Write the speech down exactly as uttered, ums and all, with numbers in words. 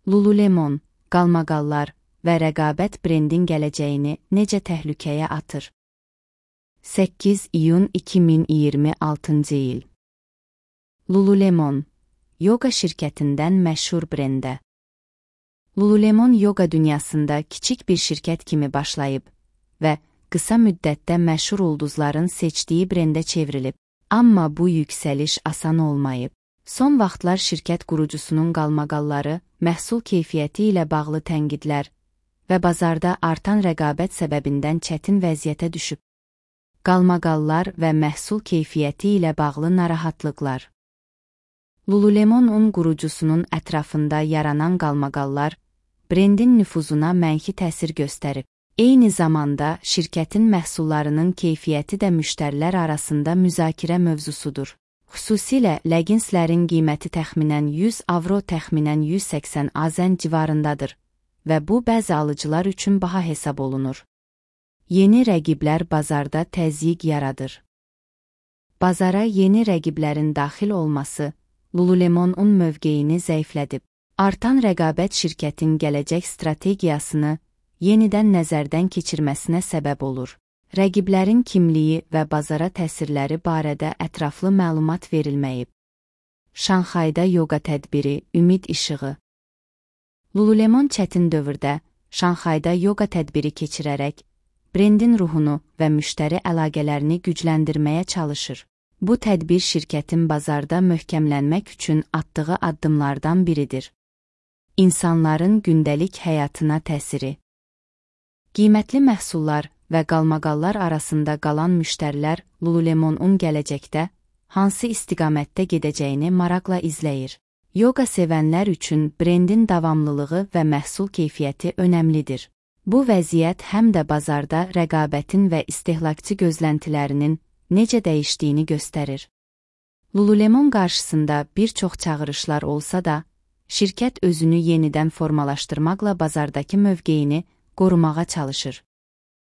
Lululemon, qalmaqallar və rəqabət brendin gələcəyini necə təhlükəyə atır? səkkiz iyun iki min iyirmi altıncı il. Lululemon, yoga şirkətindən məşhur brendə. Lululemon yoga dünyasında kiçik bir şirkət kimi başlayıb və qısa müddətdə məşhur ulduzların seçdiyi brendə çevrilib. Amma bu yüksəliş asan olmayıb. Son vaxtlar şirkət qurucusunun qalmaqalları, məhsul keyfiyyəti ilə bağlı tənqidlər və bazarda artan rəqabət səbəbindən çətin vəziyyətə düşüb. Qalmaqallar və məhsul keyfiyyəti ilə bağlı narahatlıqlar. Lululemon un qurucusunun ətrafında yaranan qalmaqallar, brendin nüfuzuna mənfi təsir göstərib. Eyni zamanda şirkətin məhsullarının keyfiyyəti də müştərilər arasında müzakirə mövzusudur. Xüsusilə leginslərin qiyməti təxminən yüz avro, təxminən yüz səksən azən civarındadır və bu bəzi alıcılar üçün baha hesab olunur. Yeni rəqiblər bazarda təzyiq yaradır. Bazara yeni rəqiblərin daxil olması Lululemon un mövqeyini zəiflədib. Artan rəqabət şirkətin gələcək strategiyasını yenidən nəzərdən keçirməsinə səbəb olur. Rəqiblərin kimliyi və bazara təsirləri barədə ətraflı məlumat verilməyib. Şanxayda yoga tədbiri, ümid işığı. Lululemon çətin dövrdə Şanxayda yoga tədbiri keçirərək brendin ruhunu və müştəri əlaqələrini gücləndirməyə çalışır. Bu tədbir şirkətin bazarda möhkəmlənmək üçün atdığı addımlardan biridir. İnsanların gündəlik həyatına təsiri. Qiymətli məhsullar və qalmaqallar arasında qalan müştərilər Lululemon un gələcəkdə hansı istiqamətdə gedəcəyini maraqla izləyir. Yoga sevənlər üçün brendin davamlılığı və məhsul keyfiyyəti önəmlidir. Bu vəziyyət həm də bazarda rəqabətin və istehlakçı gözləntilərinin necə dəyişdiyini göstərir. Lululemon qarşısında bir çox çağırışlar olsa da, şirkət özünü yenidən formalaşdırmaqla bazardakı mövqeyini qorumağa çalışır.